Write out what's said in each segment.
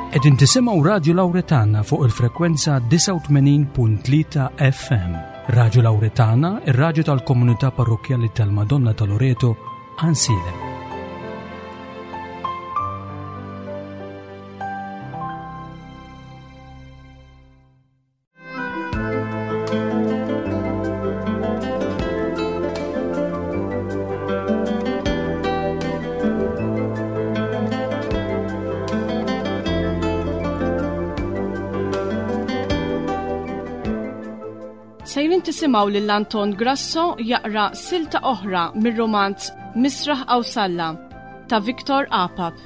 Qegħdin tisimgħu Radju Lawretana fuq il-frekwenza 89.3 FM. Radju Lawretana, ir-radju tal-komunità parrokkjali tal-Madonna ta' Loreto, Ansilem. Sejrin tisimgħu lil Anton Grasso jaqra silta oħra mir-romanz Misraħ Awsalla ta' Victor Apap.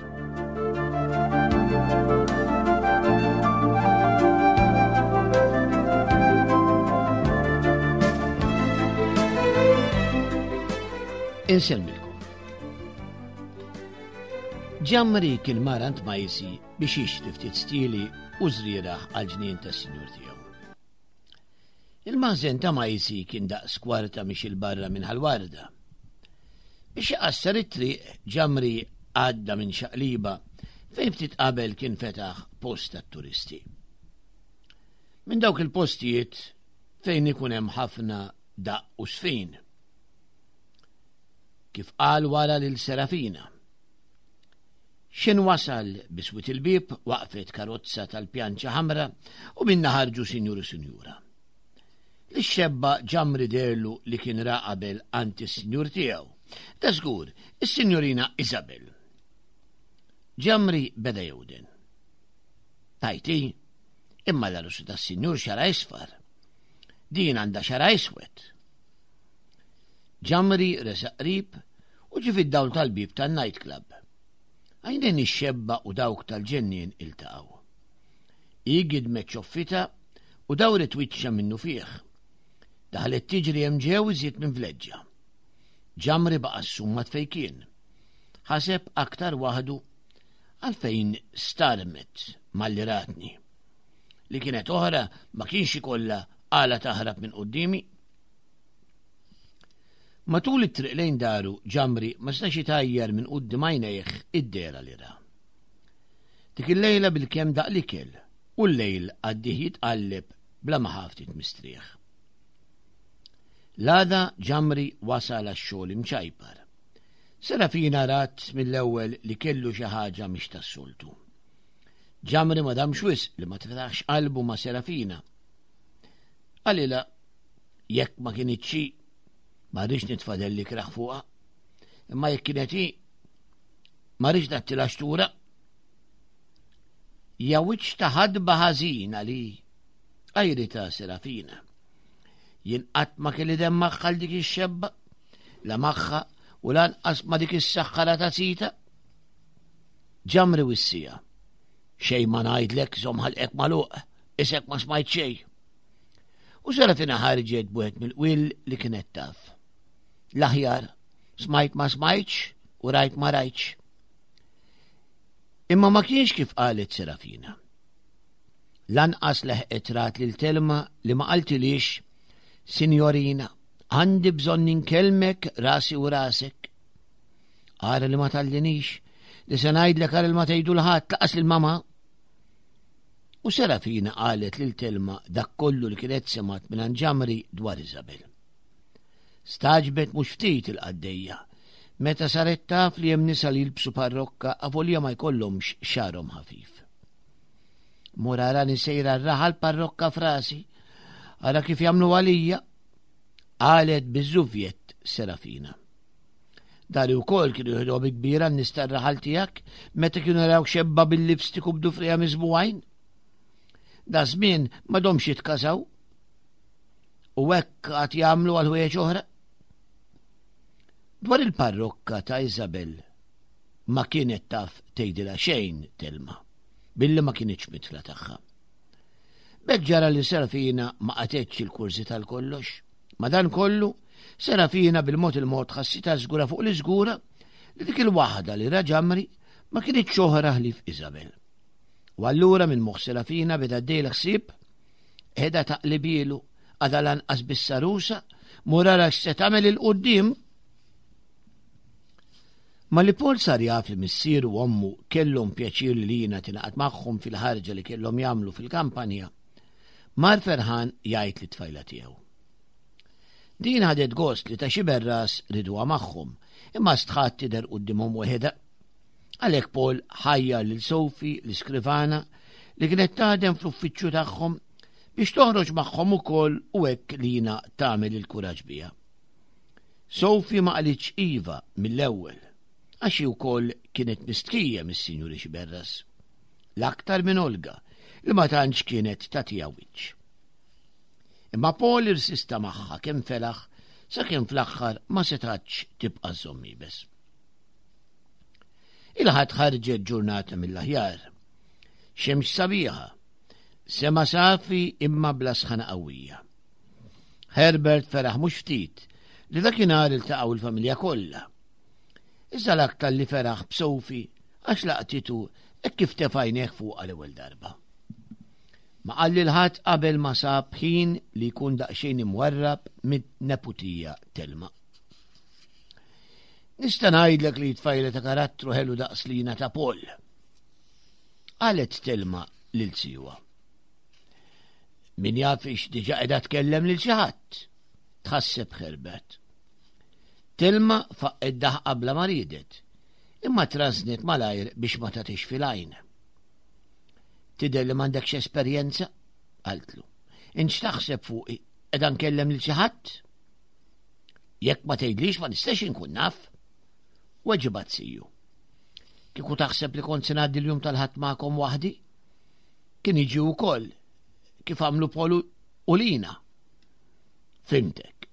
Insellmilkom. Ġamri kien marant majsi biex jixtri ftit stili u żrieragħ għall-ġnien tas-sinjur tiegħu. Il-maħżen ta' Majsi kien daqs kwarta mixi 'l barra minn Ħal Warda. Biex iqassar it-triq, Ġamri għadda minn xaqliba fejn ftit qabel kien fetaħ post tat-turisti. Minn dawk il-postijiet fejn ikun hemm ħafna daqq u sfin. Kif qal wara lil Serafina. X'in wasal biswit il-bieb waqfet karozza tal-pjanċa ħamra u minnha ħarġu sinjur u sinjura. Lix-xebba Ġamri deherlu li kien ra qabel għand is-sinjur tiegħu. Da żgur, is-sinjurina Isabel. Ġamri beda jewden. Tajti, imma l-għarusa tas-sinjur xara isfar. Din għandha xara iswed. Ġamri resaq qrib u ġie fid-dawl tal-bieb tan-night club. Għajnejn ix-xebba u dawk tal-ġennien iltaqgħu. Hi gidmet ċoffitha u dawret wiċċha minnufih. Daħlet tiġri hemm ġew iżjed minn vleġġa. Ġamri baqa' ssummat fejn kien. Ħaseb aktar waħdu għalfejn starmet malli ratni. Li kienet oħra ma kienx ikollha għala taħrab minn quddiemi. Matul it-triq lejn daru, Ġamri ma setax itajjar minn quddiem għajnejh id-dehra li ra. Dik il-lejla bilkemm daq l-ikel u l-lejl għaddih jitqalleb bla ma ħa ftit mistrieħ. L-għada Ġamri wasal għax-xogħol imċajpar. Serafina rat mill-ewwel li kellu xi ħaġa mhix tas-soltu. Ġamri ma damx wisq li ma tfetaħx qalbu ma' Serafina. Qalilha Jekk ma kinitx hi, ma rridx nitfa' dell ikrah fuqha. Imma jekk kienet hi, ma rridx nagħtilha xtura. Ja wiċċ ta' ħadba ħażina li għajri ta' Serafina. Jien qatt ma kelli demm magħha dik ix-xebba, la magħha u lanqas ma dik is-saħħara ta' sita. Ġamri wissija. Xejn ma ngħidlek żomm ħalqek magħluq, isek ma smajt xejn. U Serafina ħarġet b'wieħed mill-qwiel li kienet taf. L-aħjar, smajt ma smajtx u rajt ma rajtx. Imma ma kienx kif qalet Serafina. Lanqas leħqet rat lil Telma li ma qaltilix, Sinjorina, għandi bżonn inkellmek rasi u rasek. Ara li ma tallinix, li se ngħidlek ara li ma tgħidu l-ħadd laqas lil mama. U Serafina qalet lil Telma dak kollu li kienet semgħet mingħand Ġamri dwar Isabel. Stagħġbet mhux ftit il-qaddejja meta saret taf li hemm nisa li jilbsu parrokka avolja ma jkollhomx xagħarhom ħafif. Mur arani sejra r-raħal parrokka frasi, ara kif jagħmlu għalija, qalet biż-żuvjett Serafina. Dari wkoll kienu jieħduha bi kbira n-nies tar-raħal tiegħek meta kienu jaraw xebba bil-lipstick u b'dufrija miżbugħin. Da żmien m'għadhomx jitkażaw. U hekk għad jagħmlu għal ħwejjeġ oħra. Dwar il-parrokka ta' Isabel ma kienet taf tgħidilha xejn Telma, billi ma kinitx mitla tagħha. B'hekk ġara li Serafina ma qatgħetx il-kurżi tal-kollox. Madankollu, Serafina bil-mod il-mod ħassitha żgura fuq l-iżgura li dik il-waħda li ra Ġamri ma kinitx oħra ħlief Isabel. U allura minn moħħ Serafina beda għaddej l-ħsieb, qiegħda taqlibielu għadha lanqas bis-sarusa, mur ara x'se tagħmel 'il quddiem. Malli Paul sar jaf li missieru u ommu kellhom pjaċir li Lina tingħaqad magħhom fil-ħarġa li kellhom jagħmlu fil-kampanja, mar ferħan jgħid lit-tfajla tiegħu. Din ħadet gost li ta' xi berras riduha magħhom, imma stħat tidher quddiemhom weħidha. Għalhekk Paul ħajjar lil Sophie, l-iskrivana, li kienet taħdem fl-uffiċċju tagħhom biex toħroġ magħhom ukoll u hekk Lina tagħmel il-kuraġġ biha. Sophie ma qalitx iva mill-ewwel, għax hi wkoll kienet mistħija mis-Sinjuri Xiberras. L-aktar minn Olga, li ma tantx kienet tagħtiha wiċċ. Imma Paul irsista magħha kemm felaħ sakemm fl-aħħar ma setgħatx tibqa' żżomm iebes. Il-Ħadd ħarġet ġurnata mill-aħjar. Xemx sabiħa, sema safi imma bla sħana qawwija. Herbert feraħ mhux ftit li dakinhar iltaqgħu l-familja kollha. Iżda l-aktar li feraħ b'Sophie għax laqtitu hekk kif tefa' għajnejh fuqha l-ewwel darba. Ma qal lil ħadd qabel ma sab ħin li jkun daqsxejn imwarrab mid-neputija Telma. Nista' ngħidlek li tfajla ta' karattru ħelu daqs lina ta' Paul. Qalet Telma lil siwa. Min jaf ix diġa qiegħda tkellem lil xi ħadd. Tħasseb Herbert. Telma faqqet daħqa bla ma riedet, imma trażnet malajr biex ma tagħtix fil-għajn. Tidher li m'għandekx esperjenza, qaltlu. Int x'taħseb fuqi, qiegħda nkellem lil xi ħadd? Jekk ma tgħidlix ma nistax inkun naf. Weġibat siju. Kieku taħseb li kont se ngħaddi l-jum tal-ħadd magħkom waħdi? Kien jiġi wkoll kif għamlu Polu u Lina. Fimtek.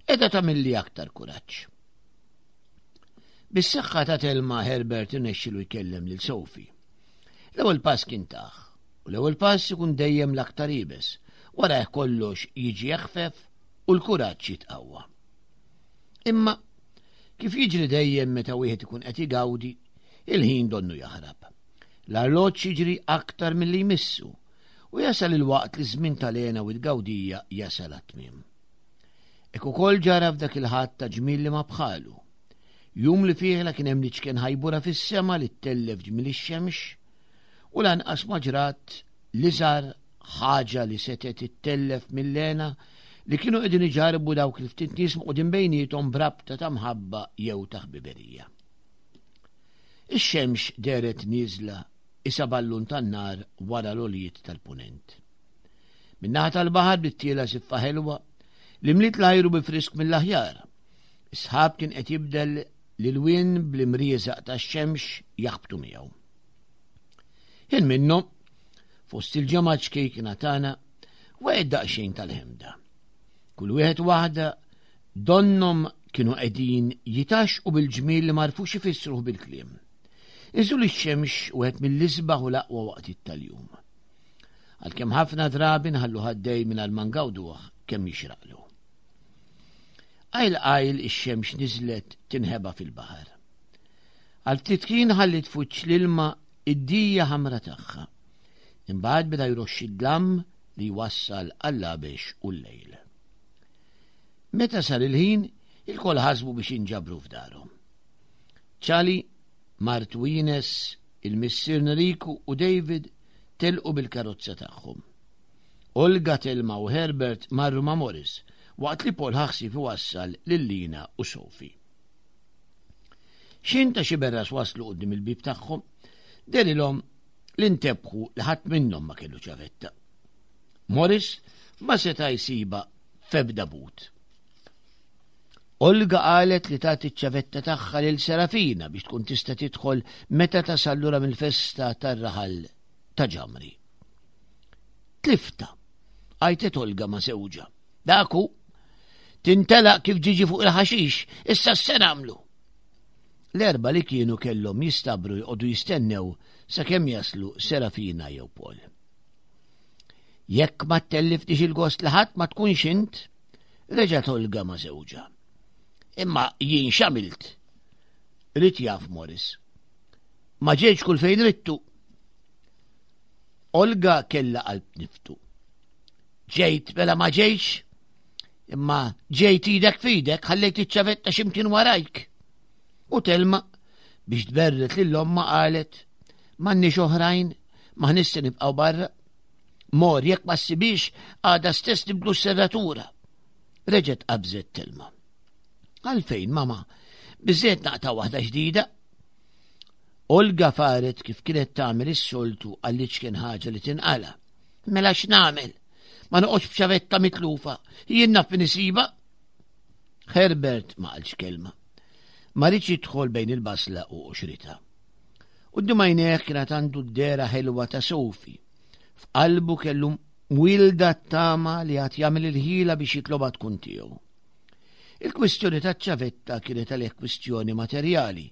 Edha tagħmilli aktar kuraġġ. Bis-saħħa ta' Telma Herbert irnexxilu jkellem lil Sophie. L-ewwel pass kien taħ, u l-ewwel pass ikun dejjem l-aktar iebes, wara kollox jiġi eħfef u l-kuraġġ jitqawwa. Imma kif jiġri dejjem meta wieħed ikun qed igawdi, il-ħin donnu jaħrab. L-arloġġ jiġri aktar milli jmissu u jasal il-waqt li ż-żmien tal-hena u t-tgawdija jasal għat-tmiem. Hekk ukoll ġara f'dak il-Ħadd ta' ġmiel li ma bħalu. Jum li fih la kien hemm l-iċken ħajbura fis-sema li ttellef ġmiel ix-xemx u lanqas ma ġrat l-iżgħar ħaġa li setgħet ittellef mill-hena li kienu qegħdin iġarrbu dawk il-ftit nies mqudin bejniethom b'rabta ta' mħabba jew ta' ħbiberija. Ix-xemx dehret nieżla isa ballun tan-nar wara l-għoljiet tal-punent. Min-naħa tal-baħar bdiet tiela' żiffa ħelwa li mliet l-ajru bi frisk mill-aħjar. Is-sħab kien qed jibdel l-ilwien bl-imrieżaq tax-xemx jaħbtu miegħu. Ħin minnhom, fost il-ġemgħa ċkejkna tagħna, waqgħet daqsxejn tal-ħemda. Kull wieħed waħda donnhom kienu qegħdin jitgħaxxqu bil-ġmiel li m'għarfux ifissruh bil-kliem. Inżul ix-xemx wieħed mill-isbaħ u l-aqwa waqtiet tal-jum. Għalkemm ħafna drabi nħallu ħaddej mingħajr ma ngawduh kemm jixraqlu. Qajl qajl ix-xemx niżlet tinħeba fil-baħar. Għal ftit ħin ħalliet f'wiċċ l-ilma id-dija ħamra tagħha. Imbagħad beda jroxxi d-dlam li jwassal għall-għabex u l-lejl. Meta sar il-ħin, ilkoll ħasbu biex jinġabru f'darhom. Ċali, martu Ines, il-missier Nriku u David telqu bil-karozza tagħhom. Olga, Telma u Herbert marru ma' Morris, waqt li Paul ħa ħsieb iwassal lil Lina u Sophie. X'ħin ta' xi berras waslu quddiem il-bieb tagħhom, dehrilhom li ntebħu li ħadd minnhom ma kellu ċavetta. Morris ma seta' jsibha f'ebda but. Olga qalet li tagħti ċ-ċavetta tagħha lil Serafina biex tkun tista' tidħol meta tasal lura mill-festa tar-raħal ta' Ġamri. Tlifta, għajtet Olga ma' sewġa. Daku, tintelaq kif ġiġi fuq il-ħaxix, issa se nagħmlu. L-erba li kienu kellhom jistabru jqogħdu jistennew sakemm jaslu Serafina jew Paul. Jekk ma tellifnix il-gost li ħadd ma tkunx int, reġa' Olga ma' żewġha. Imma jien x'għamilt? Rid jaf Morris. Ma ġejtx kull fejn rittu. Olga kella qalb niftu. Ġejt mela ma ġejtx, imma ġejt idek fidek ħallejt iċ-ċavetta x'imkien warajk. U Telma. Biex tberret lil ommha qalet, M'għandniex oħrajn, m'aħniex se nibqgħu barra. Mor jekk ma ssibix għada stess nibdlu s-serratura. Reġgħet qabżet Telma. Għalfejn, mama, biżżejjed naqta' waħda ġdida. Olga faret kif kienet tagħmel is-soltu għall-iċken ħaġa li tinqala. Mela x'nagħmel? Ma noqgħodx b'ċavetta mitlufa. Jien naf min isiba. Herbert ma qalx kelma. Ma riedx jidħol bejn il-basla u qoxritha. Quddiem għajnejh kienet għandu d-dehra ħelwa ta' Sophie. F'qalbu kellu mwilda t-tama li għad jagħmel il-ħila biex jitlobha tkun tiegħu. Il-kwistjoni taċ-ċavetta kienet għalih kwistjoni materjali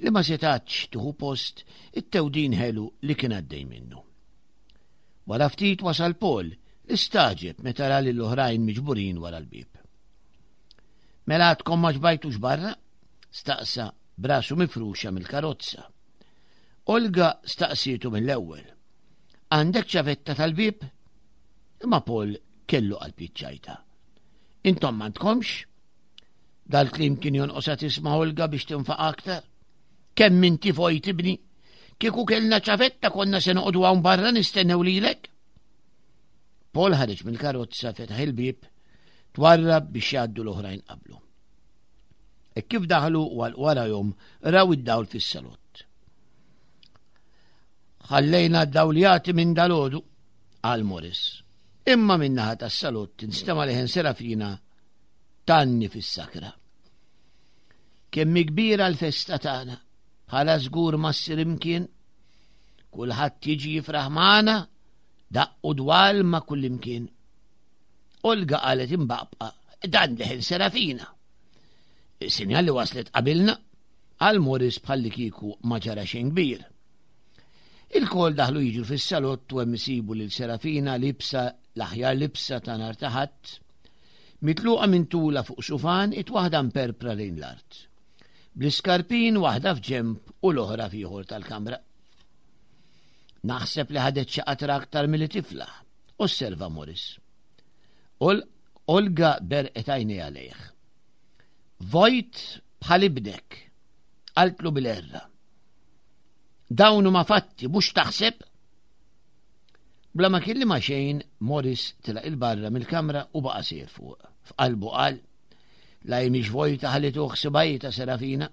li ma setatx tieħu post it-tewdin ħelu li kien għaddej minnu. Wara ftit wasal Paul li stagħġeb meta ra lil oħrajn miġburin wara l-bieb. Mela għadkom ma xbajtux barra? Staqsa b'rasu mifruxa mill-karozza. Olga staqsietu mill-ewwel. Għandek ċavetta tal-bieb? Imma Paul kellu qalb jiċċajta. Intom m'għandkomx? Dal-klim kien jonqosha tisma' Olga biex tinfaq aktar. Kemm inti vojt ibni? Kieku kellna ċavetta konna se noqogħdu hawn barra nistennew lilek? Paul ħareġ mill-karozza fetaħ il-bieb, twarrab biex jgħaddu l-oħrajn qablu. E kif daħlu u għal warajhom raw id-dawl fis-salott. Ħallejna d-dawl jagħti minn dalodu, qal Morris. Imma min-naħa tas-salott instema' leħen Serafina tanni fis-sakra. Kemm kbira l-festa tagħna, bħala żgur ma ssir imkien, kulħadd jiġi jifraħ magħna, daqqu dwal ma' kullimkien. Olga qalet imbaqbqa, dan leħen Serafina. Sinjal li waslet qabilna, għal Morris bħalli kieku ma ġara xejn kbir. Il-kol daħlu jiġu fis-salott u hemm isibu lil Serafina libsa l-aħjar libsa ta' nhar ta' Ħadd, mitluqa minn tula fuq sufan it waħda mperpra lejn l-art. Bl-iskarpin waħda f'ġemb u l-oħra f'ieħor tal-kamra. Naħseb li ħadet xi qatra aktar milli tiflaħ, osserva Morris. Olga berqet għajnejha lejh. Vojt bħal ibnek, qaltlu bil-erra. Dawn huma fatti, mhux taħseb? Bla ma kelli ma xejn, Morris tilaq il-barra mill-kamra u baqa' sejr fuq. F'qalbu qal, la jmix vojta ħallitu ħsibajta Serafina.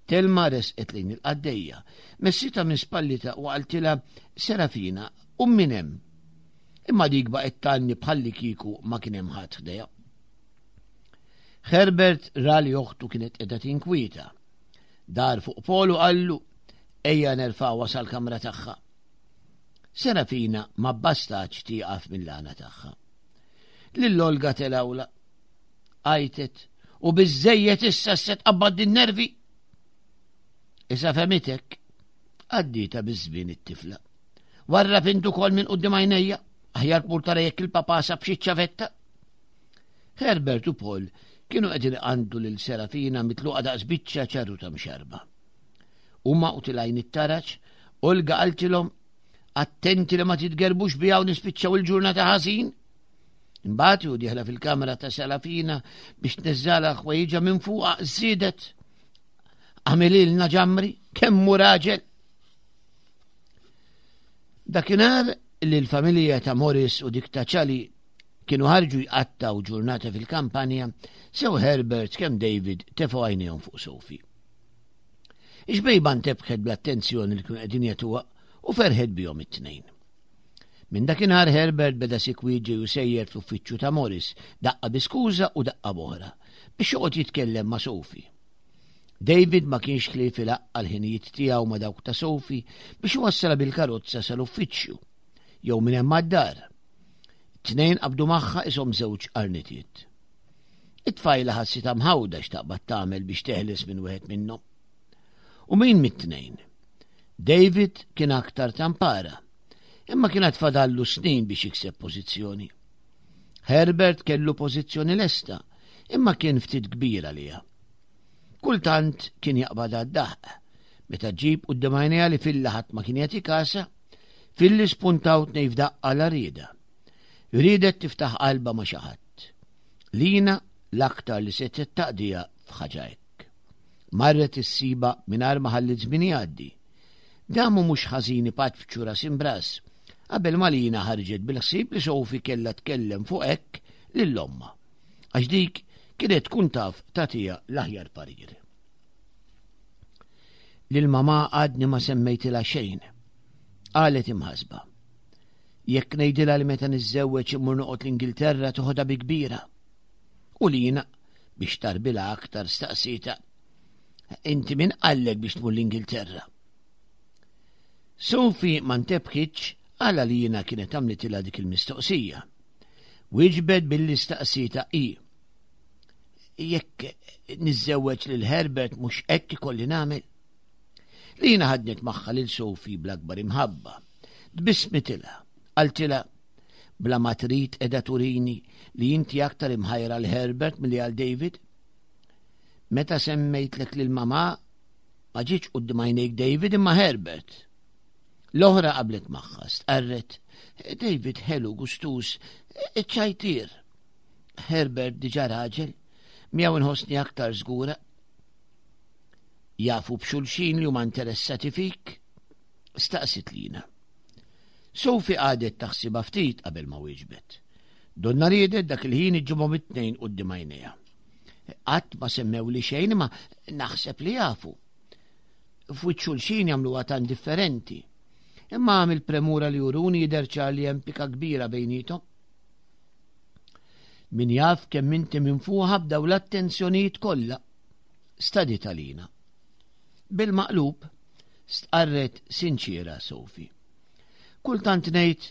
Telma resqet lejn il-qaddejja, messitha minn spallitha u qaltilha, Serafina, qum minn hemm. Imma dik baqgħet tgħanni bħallikieku ma kien hemm ħadd ħdejha. Herbert ra li oħtu kienet qiegħda tinkwieta. Dar fuq Paul u qallu, ejja nerfgħuha sal-kamra tagħha. Serafina ma bastax tieqaf mill-għana tagħha. Lil Olga telawla. Għajtet, u biżejjed issa se tqabbad din nervi. Issa femitek, għaddita biż-żmien it-tifla. Warra fintu kol minn qudiem għajnejja, aħjar tmur tara jekk il-papa sab xi ċavetta. Herbert u Paul kienu qegħdin iqandu lil Serafina mitluqa daqs biċċa ċarru ta' mxarba. Huma u tilgħin it-taraġ, Olga qaltilhom attenti li ma titgerbux biha u nispiċċaw il-ġurnata ħażin. Imbagħad u dieħla fil-kamra ta' Serafina biex tneżżalha ħwejġa minn fuqha żiedet. Għamililna ġamri, kemm hu raġel. Dakinhar li l-familja ta' Morris u dik ta' Ċali kienu ħarġu jqattaw ġurnata fil-kampanja, sew Herbert kemm David tefgħu għajnejhom fuq Sophie. Ix-xbejba ntebħet bl-attenzjoni li kienu qegħdin jagħtuha u ferħet bihom it-tnejn. Minn dakinhar Herbert beda sikwit ġej u sejjer fl-uffiċċju ta' Morris, daqqa bi skuża u daqqa b'oħra, biex joqgħod jitkellem ma' Sophie. David ma kienx ħlief ilaqqa' l-ħinijiet tiegħu ma' dawk ta' Sophie biex iwassalha bil-karozza sal-uffiċċju, jew minn hemm għad-dar. It-tnejn qabdu magħha ishom żewġ qarnitiet. It-tfajla ħassitha mħawda x'taqbad tagħmel biex teħles minn wieħed minnhom. U min mit-tnejn? David kien aktar tampara, imma kien għad fadallu snin biex jikseb pożizzjoni. Herbert kellu pożizzjoni lesta, imma kien ftit kbir għaliha. Kultant kien jaqbad għad-daħq, meta ġib quddiem għajnejha li filla ħadd ma kien jagħti kasa, filli spuntaw tnej f'daqqa la rieda. Riedet tiftaħ qalba ma' xi ħadd. Lina l-aktar li setgħet taqdija f'ħaġa hekk. Marret issibha mingħajr ma ħalliet żmien jgħaddi. Damu mhux ħażin ipatfċu ras imbras, qabel ma Lina ħarġet bil-ħsieb li Sophie kellha tkellem fuq hekk lil ommha, għax dik kienet tkun taf tagħtiha l-aħjar parir. Lil mamà għadni ma semmejtilha xejn, qalet imħasba. Jekk ngħidilha li meta niżżewweġ immur noqgħod l-Ingilterra toħodha bi kbira. U Lina, biex tarbilha aktar staqsietha, Inti min qallek biex tmur l-Ingilterra? Sophie ma ntebħitx għala Lina kienet għamlitilha dik il-mistoqsija. Wieġbet billi staqsietha hi. Jekk niżżewweġ lil Herbert mhux hekk ikolli nagħmel? Lina ħadnet magħha lil Sophie bl-akbar imħabba. Tbissmitilha, qaltilha, bla ma trid qiegħda turini li inti aktar imħajra għal Herbert milli għal David. Meta semmejtlek lil mamà ma ġietx quddiem għajnejk David imma Herbert. L-oħra qablet magħha, stqarret, David ħelu gustuż, ċajtier. Herbert diġà raġel, miegħu nħossni aktar żgura. Jafu b'xulxin li huma interessati fik? Staqsit Lina. Sophie qagħdet taħsibha ftit qabel ma wieġbet. Donna riedet dak il-ħin iġġibhom it-tnejn quddiem għajnejha. Qatt ma semmewli xejn imma naħseb li jafu. F'wiċċ xulxin jagħmluha tant differenti. Imma mill-premura li juruni jidher ċar li hemm pika kbira bejniethom. Min jaf kemm inti minfuħa b'daw l-attenzjonijiet kollha. Stadiet għalina. Bil-maqlub, stqarret sinċiera Sophie. Kultant ngħid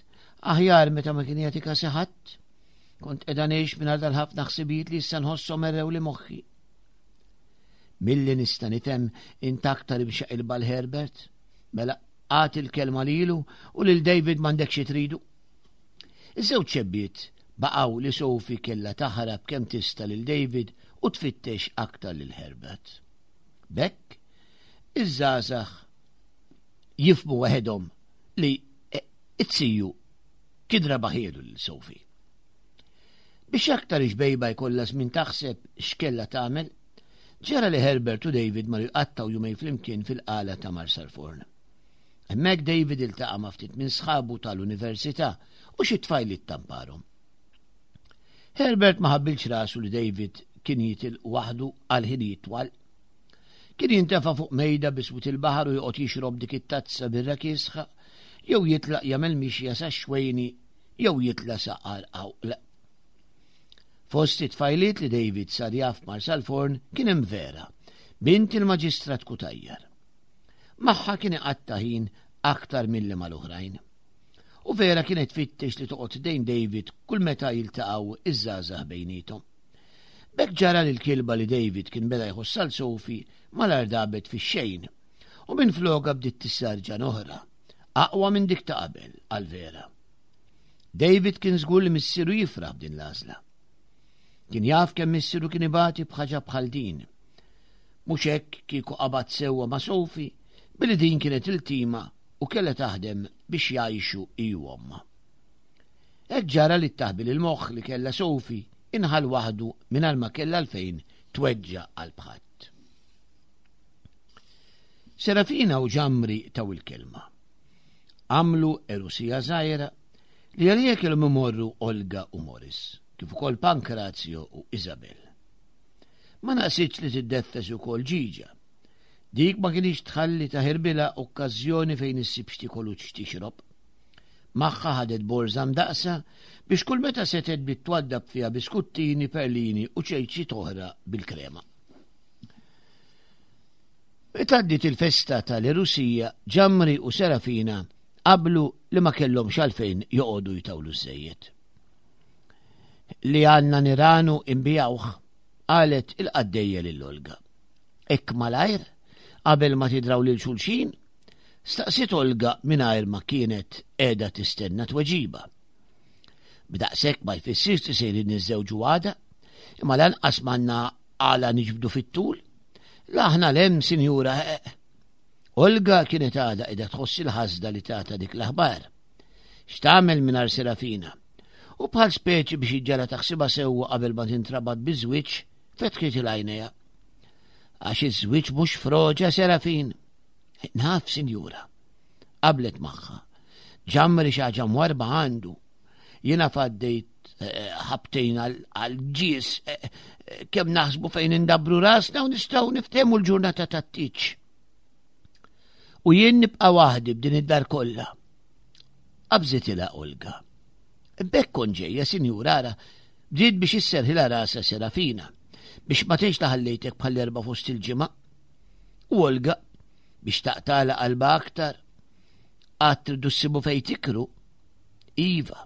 aħjar meta ma kien jagħti kasi ħadd. Kont qiegħda ngħix mingħajr dal-ħafna ħsibijiet li issa nħosshom errew li moħħi. Milli nista' nifhem int aktar imxaqilba l-Herbert, mela għati l-kelma lilu u lil David m'għandek xi tridu. Iż-żewġ xebbiet baqgħu li Sophie kellha taħrab kemm tista' lil David u tfittex aktar lil Herbert. B'hekk, iż-żgħażagħ jifhmu waħedhom li it-siju kien rebaħielu lil Sophie. Biex aktar ix-xbejba jkollha żmien taħseb x'kellha tagħmel, ġara li Herbert u David marru jqattgħu jumejn flimkien fil-qala ta' Marsalforn. Hemmhekk David iltaqa' ma' ftit minn sħabu tal-università u xi tfajliet tamparhom. Herbert ma ħabbilx rasu li David kien jitilq waħdu għal ħinijiet twal. Kien jintefa' fuq mejda biswit il-baħar u joqgħod jixrob dik it-tazza birra kiesħa, jew jitlaq jagħmel mixja sax-xwejni jew jitla' sa Għar Għawql. Fost it-tfajliet li David sar jaf Marsalforn kien hemm Vera, bint il-Maġistrat Cutajar. Magħha kien iqatta' ħin aktar milli mal-oħrajn. U Vera kienet tfittex li toqgħod ħdejn David kull meta jiltaqgħu iż-żgħażagħ bejniethom. B'hekk ġara li l-kilba li David kien beda jħoss għal Sophie malajr dabet fix-xejn u minflokha bdiet tissarġan oħra, aqwa minn dik ta' qabel għal Vera. David kien żgur li missieru jifraħ b'din l-għażla. Kien jaf kemm missieru kien ibati b'ħaġa bħal din. Mhux hekk kieku qabad sewwa ma' Sophie billi din kienet iltima u kellha taħdem biex jgħixu hi u ommha. Hekk ġara li t-taħbil il-moħħ li kellha Sophie inħall waħdu mingħajr ma kellha għalfejn tweġġa' qalb ħadd. Serafina u Ġamri taw il-kelma. Għamlu erusija żgħira li għalija kellhom imorru Olga u Morris, kif ukoll Pankrazio u Isabel. Ma naqsitx li tiddeffes ukoll Ġiġa. Dik ma kinitx tħalli taħirbilha okkażjoni fejn issib x'tiekol u x'tixrob. Magħha ħadet borża mdaqqsa biex kull meta setgħet bdiet twaddab fiha biskuttini, perlini u ċejċiet oħra bil-krema. Meta għaddiet il-festa tal-Erusija, Ġamri u Serafina qablu li ma kellhomx għalfejn joqogħdu jtawlu żżejjed. Li għandna niranu imbijawh, qalet il-qaddejja lil Olga. Hekk malajr, qabel ma tidraw lil xulxin? Staqsiet Olga mingħajr ma kienet qiegħda tistenna tweġiba. B'daqshekk ma jfissirx li sejrin niżżewġu għada, imma lanqas m'għandna għala niġbdu fit-tul. La aħna l-hemm, sinjura. Eh, eh. Olga kienet għada qiegħda tħoss il-ħasda li tata dik l-aħbar. X'tagħmel mingħajr Serafina? U bħal speċi biex iġġara taħsibha sewwa qabel ma tintrabat biż-żwieġ, fetħiet il-għajnejha. Għax iż-żwieġ mhux froġa Serafin. Naf, sinjura. Qablet magħha. Ġamri xi ħaġa mwarba għandu. Jiena faddejt eh, ħabtejn għal-ġis eh, eh, kemm naħsbu fejn indabru rasna u nistgħu niftehmu l-ġurnata tat-tiċ. U jien nibqa' waħdi b'din id-dar kollha. Qabżitilha Olga. Bekk kont ġejja, sinjura, ara, bdiet biex isserħilha rasha Serafina, biex ma tgħidx li ħallejtek bħall-erba' fost il-ġimgħa. U Olga, biex taqtala qalba aktar, għad tridu ssibu fejn tikru. Iva.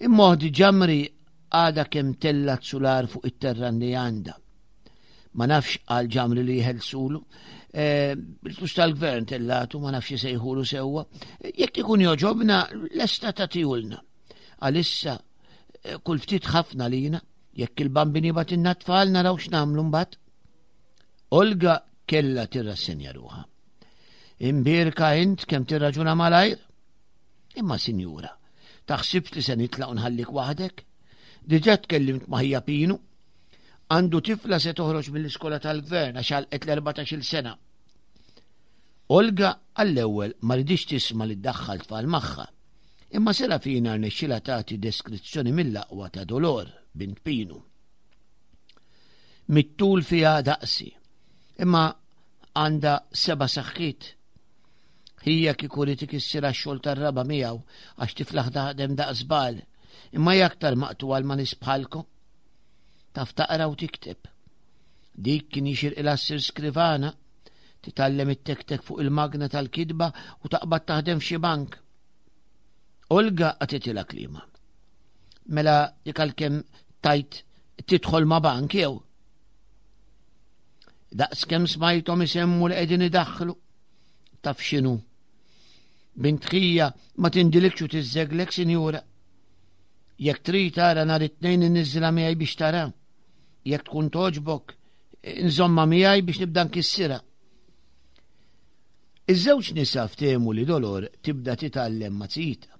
Imma ġamri għada kemm tellat sular fuq it-terran li għandha. Ma nafx għal ġamri li jħelsulu. Eh, il-flus tal-gvern tellatu, ma nafx jisejħulu sewwa. Jekk ikun joġobna, lesta tagħtihulna. Għalissa, eh, kull ftit ħafna lina, jekk il-bambini batinna tfal naraw x'nagħmlu mbagħad. Olga kella tirrassenja ruħha. Imbirka int kemm tirraġuna malajr? Imma sinjura, taħsibx li se nitlaq nħallik waħdek? Diġà tkellimt ma' ħija Pinu Għandu tifla se toħroġ mill-iskola tal-gvern għax għalqet l-14-il sena. Olga għall-ewwel ma ridix tisma' li ddaħħal tfal magħha. Imma Serafina rnexxilha tagħti deskrizzjoni mill-aqwa ta' Dolor, bint Pinu. Mit-tul fiha daqsi, imma għandha seba' saħħiet. Hija kieku rid ikissirha x-xogħol tar-raba' miegħu għax tiflaħ taħdem daqs żball, imma hija aktar maqtugħa ma' nies bħalkom. Taf taqra u tikteb. Dik kien jixirqilha ssir skrivana, titgħallem it-tektek fuq il-magna tal-kitba u taqbad taħdem f'xi bank. Olga qatitilha kliema. Mela dik għalkemm tajt tidħol ma' bank jew. Daqs kemm smajthom isemmu li qegħdin idaħħlu. Taf x'inhu? Bint ħija ma tindilikx u tiżżeglek, sinjura. Jekk trid ara nhar it-Tnejn inniżżilha miegħi biex tara. Jekk tkun togħġbok, inżommha miegħi biex nibda nkissirha. Iż-żewġ nisa ftehmu li Dolor tibda titgħallem ma' Zita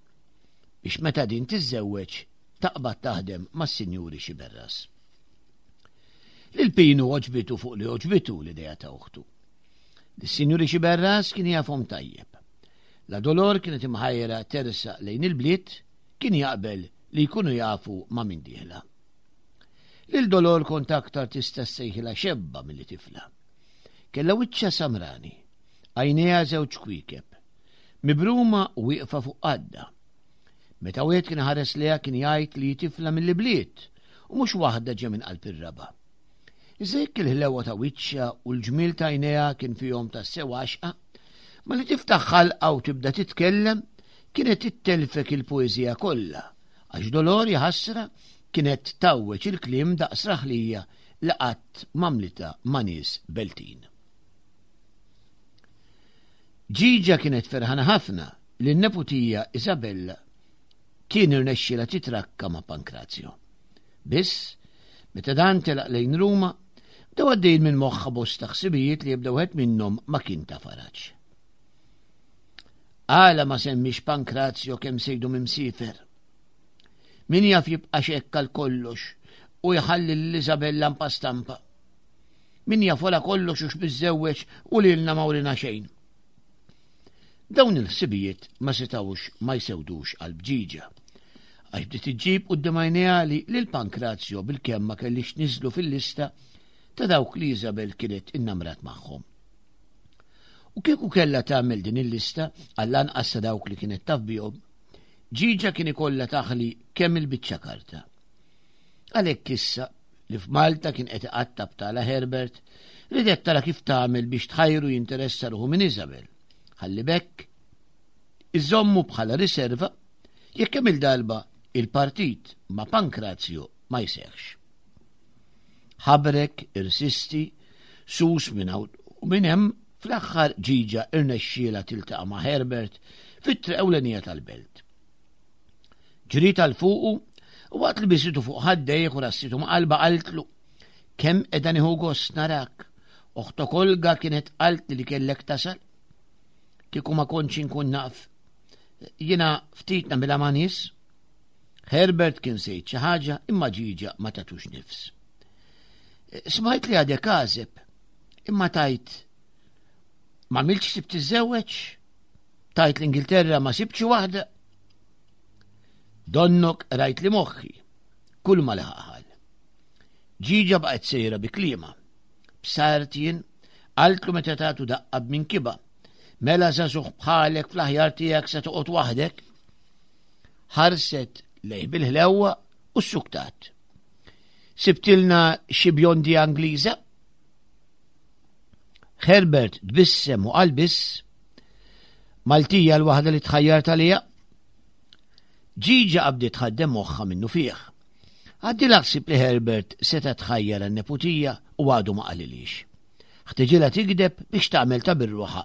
biex meta din tiżżewweġ taqbad taħdem mas-Sinjuri Xiberras. Lil Pinu għoġbitu fuq li għoġbitu l-idea ta' uħtu. Lis-Sinjuri Xiberras kien jafhom tajjeb. La Dolor kienet imħajra tersaq lejn il-bliet kien jaqbel li jkunu jafu ma' min dieħla. Lil Dolor kont aktar tista' ssejħilha xebba milli tifla. Kellha wiċċha samrani, għajnejha żewġ kwiekeb, mibruma u wieqfa fuq qadda. Meta wieħed kien ħares lejha kien jgħid li tifla mill-ibliet u mhux waħda ġe minn qalb ir-raba'. Iżda jekk il-ħlewa ta' wiċċha u l-ġmiel ta' għajnejha kien fihom tassew għaxqa, malli tiftaħ ħalqha u tibda titkellem, kienet ittellfek il-poeżija kollha, għax Dolor jaħasra kienet tgħawweġ il-kliem daqs raħlija li qatt m'għamlitha ma' nies Beltin. Ġiġa kienet ferħana ħafna li n-neputija Isabella kien irnexxielha titrakka ma' Pankrazio. Biss, meta dan telaq lejn Ruma, bdew għaddejjin minn moħħha bosta ħsibijiet li ebda wieħed minnhom ma kien ta' faraġ. Għala ma semmix Pankrazio kemm se jdum imsiefer? Min jaf jibqax hekk għal kollox u jħalli lil Isabella mpa stampa. Min jaf wara kollox hux miżżewweġ u lilna ma wrina xejn. Dawn il-ħsibijiet ma setgħux ma jsewdux qalb Ġiġa. Għax bdiet iġġib quddiem għajnejha li lil Pankrazio bilkemm ma kellix tniżżlu fil-lista ta' dawk li Isabel kienet innamrat magħhom. U kieku kellha tagħmel din il-lista għall-anqas ta' dawk li kienet taf bihom, Ġiġa kien ikollha taħli kemm il-biċċa karta. Għalhekk issa li f'Malta kien qed iqatta' btala Herbert, ridet tara kif tagħmel biex tħajru jinteressa ruħu minn Isabel. Ħalli b'hekk iżommu bħala riserva jekk kemm il-darba il-partit ma' Pankrazio ma jseħħx. Ħabrek, irsisti, sus minn hawn u minn hemm, fl-aħħar Ġiġa irnexxielha tiltaqa' ma' Herbert fit-triq ewlenija tal-belt. Ġriet għal fuqu u waqt li bisitu fuq ħaddejh u rassitu ma' qalba qaltlu kemm qiegħda nieħu gost narak. Oħtok Olga kienet qaltli li kellek tasal. Kieku ma kontx inkun naf. Jiena ftit nagħmilha ma' nies. Herbert kien se jgħid xi ħaġa imma Ġiġa ma tatux nifs. Smajt li għadek għażeb. Imma tajt ma milx sib tiżżewweġ? Tajt l-Ingilterra ma sibx waħda? Donnok rajt li moħħi, kull ma laħaqħal. Ġiġa baqgħet sejra bi kliema. B'sart jien, qaltlu meta tagħtu daqqa b'minkiba. Mela żagħżugħ bħalek fl-aħjar tiegħek se toqgħod waħdek. Ħarset lejh bil-ħlewwa u ssuktat. Sibtilna xi bjondi Angliża? Herbert tbissem u qal biss, Maltija l-waħda li tħajjart għaliha? Ġiġa qabdiet tħaddem moħħha minnu fih. Għaddilha ħsieb li Herbert seta' tħajjar għan-neputija u għadu ma qalilhiex. Ħtiġilha tigdeb biex tagħmel ta' birruħa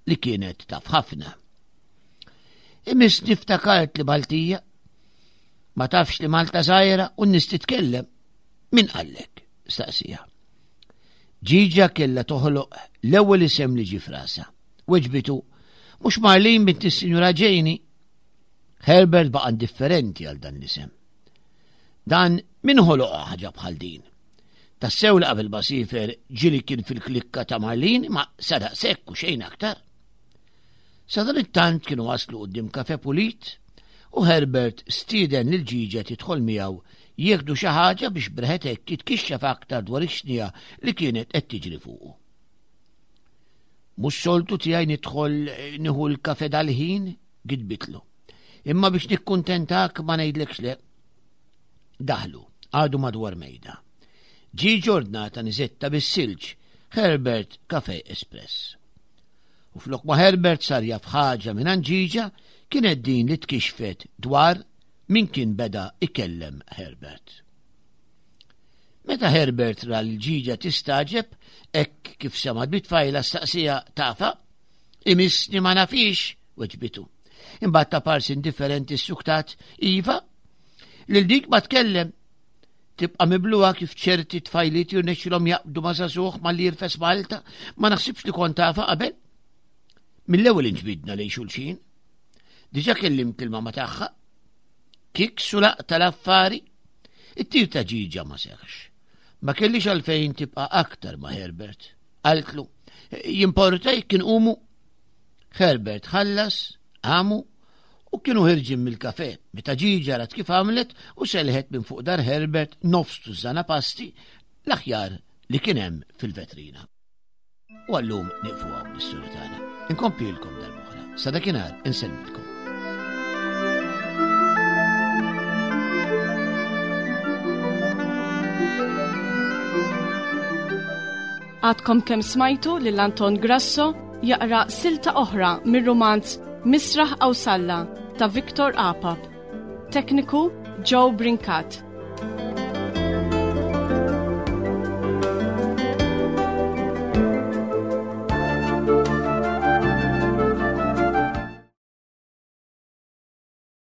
li kienet taf ħafna. Imissni ftakart li Maltija ma tafx li Malta żgħira u n-nies titkellem. Min qallek? staqsija. Ġiġa kellha toħloq l-ewwel isem li ġie frasa. Weġbitu, mhux Marlin bint is-Sinjura Ġejni. Herbert baqa' indifferenti għal dan l-isem. Dan min ħoloq ħaġa bħal din? Tassew li qabel ma sifer ġili kien fil-klikka ta' Marlin ma sadaq sekk u xejn aktar. Sadanittant kienu waslu quddiem kafe pulit u Herbert stieden lil Ġiġa tidħol miegħu jieħdu xi ħaġa biex breħet hekk jitkixxef aktar dwar ix-xnija li kienet qed tiġri fuqu. Mhux soltu tiegħi nidħol nieħu l-kafe dal-ħin, gidbitlu. Imma biex nikkuntentak ma ngħidlekx le. Daħlu, għadu madwar mejda. Ġie ġordnata niżetta bis-silġ, Herbert Cafe Espress. U flok ma Herbert sar jaf ħaġa minn Ġiġa, kienet din li tkixfet dwar min kien beda ikellem Herbert. Meta Herbert ra l-ġiġa tistaġeb, hekk kif semgħet bit-tfajla staqsija tafa, imissni ma nafix, weġbitu. Imbagħad ta' parsi indifferenti ssuktat, iva, lil dik ma tkellem. Tibqa' mibluha kif ċerti tfajliet jirnexxilhom jaqbdu ma' żagħżugħ malli jirfes Malta, ma naħsibx li kont tafha qabel. Mill-ewwel inġbidna lejn xulxin. Diġà kellimt il-mama tagħha. Kiks u laqta l-affari. It-tir ta' ġiġa ma seħx. Ma kellix għalfejn tibqa' aktar ma' Herbert. Qaltlu, jimporta jekk inqumu? Herbert ħallas, qamu u kienu ħirġin mill-kafe meta Ġiġa rat kif għamlet u selħet minn fuq dar Herbert nofs tużżana pasti l-aħjar li kien hemm fil-vetrina. U għallum nieqfu hawn l-istorja tagħna. Inkomplilkom darb'oħra. Sa dakinhar insellmilkom. Għadkom kemm smajtu lil Anton Grasso jaqra silta oħra mir-rumanz Misraħ Awsalla ta' Victor Apap. Tekniku Joe Brincat.